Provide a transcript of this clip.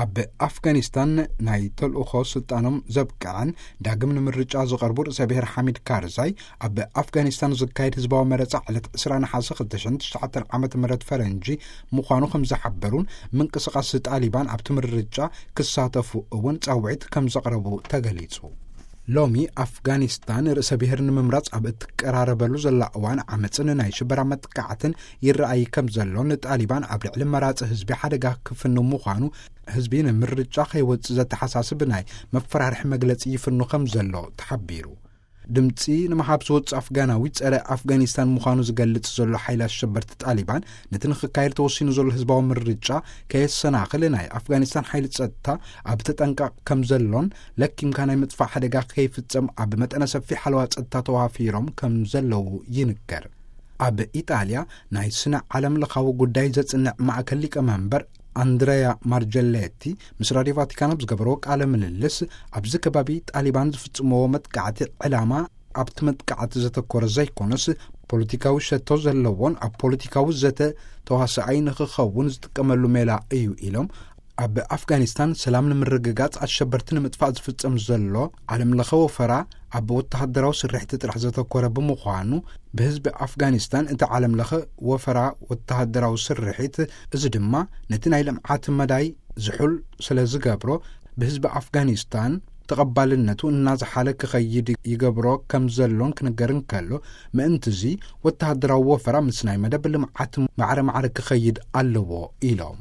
ኣብ ኣፍጋኒስታን ናይ ተልእኾ ስልጣኖም ዘብቅዐን ዳግም ንምርጫ ዝቐርቡ ርእሰ ብሔር ሓሚድ ካርዛይ፣ ኣብ ኣፍጋኒስታን ዝካየድ ህዝባዊ መረጻ ዕለት ዕስራ ነሓሰ ክልተ ሽሕን ትሽዓተ ዓመተ ምህረት ፈረንጂ ምዃኑ ከም ዝሓበሩን፣ ምንቅስቓስ ጣሊባን ኣብቲ ምርጫ ክሳተፉ እውን ጻውዒት ከም ዘቕረቡ ተገሊጹ። ሎሚ ኣፍጋኒስታን ርእሰ ብሔር ንምምራጽ ኣብ እትቀራረበሉ ዘላ እዋን፣ ዓመጽን ናይ ሽበራ መጥቃዕትን ይረኣይ ከም ዘሎ፣ ንጣሊባን ኣብ ልዕሊ መራጺ ህዝቢ ሓደጋ ክፍኑ ምዃኑ፣ ህዝቢ ንምርጫ ከይወጽእ ዘተሓሳስብ ናይ መፈራርሒ መግለጺ ይፍኑ ከም ዘሎ ተሓቢሩ። ድምጺ ንምሃብ ዝወጽእ ኣፍጋናዊ ጸረ ኣፍጋኒስታን ምዃኑ ዝገልጽ ዘሎ ሓይሊ ኣሸበርቲ ጣሊባን፣ ነቲ ንኽካየድ ተወሲኑ ዘሎ ህዝባዊ ምርጫ ከየሰናኽል ናይ ኣፍጋኒስታን ሓይሊ ጸጥታ ኣብ ተጠንቃቕ ከም ዘሎን፣ ለኪምካ ናይ ምጥፋእ ሓደጋ ከይፍጸም ኣብ መጠነ ሰፊሕ ሓለዋ ጸጥታ ተዋፊሮም ከም ዘለዉ ይንገር። ኣብ ኢጣልያ ናይ ስነ ዓለም ለኻዊ ጉዳይ ዘጽንዕ ማእከል ሊቀመንበር ኣንድረያ ማርጀሌቲ ምስ ራድዮ ቫቲካን ኣብ ዝገበርዎ ቃለ ምልልስ፣ ኣብዚ ከባቢ ጣሊባን ዝፍጽምዎ መጥቃዕቲ ዕላማ ኣብቲ መጥቃዕቲ ዘተኮረ ዘይኮነስ፣ ፖለቲካዊ ሸቶ ዘለዎን ኣብ ፖለቲካዊ ዘተ ተዋሳኣይ ንኽኸውን ዝጥቀመሉ ሜላ እዩ ኢሎም፣ ኣብ ኣፍጋኒስታን ሰላም ንምርግጋጽ ኣሸበርቲ ንምጥፋእ ዝፍጸም ዘሎ ዓለም ለኸ ወፈራ ኣብ ወተሃደራዊ ስርሒት ጥራሕ ዘተኮረ ብምዃኑ፣ ብህዝቢ ኣፍጋኒስታን እቲ ዓለም ለኸ ወፈራ ወተሃደራዊ ስርሒት፣ እዚ ድማ ነቲ ናይ ልምዓት መዳይ ዝሑል ስለ ዝገብሮ፣ ብህዝቢ ኣፍጋኒስታን ተቐባልነቱ እናዝሓለ ክኸይድ ይገብሮ ከም ዘሎን ክንገር እንከሎ፣ ምእንትዚ ወተሃደራዊ ወፈራ ምስ ናይ መደብ ልምዓት ማዕረ ማዕረ ክኸይድ ኣለዎ ኢሎም።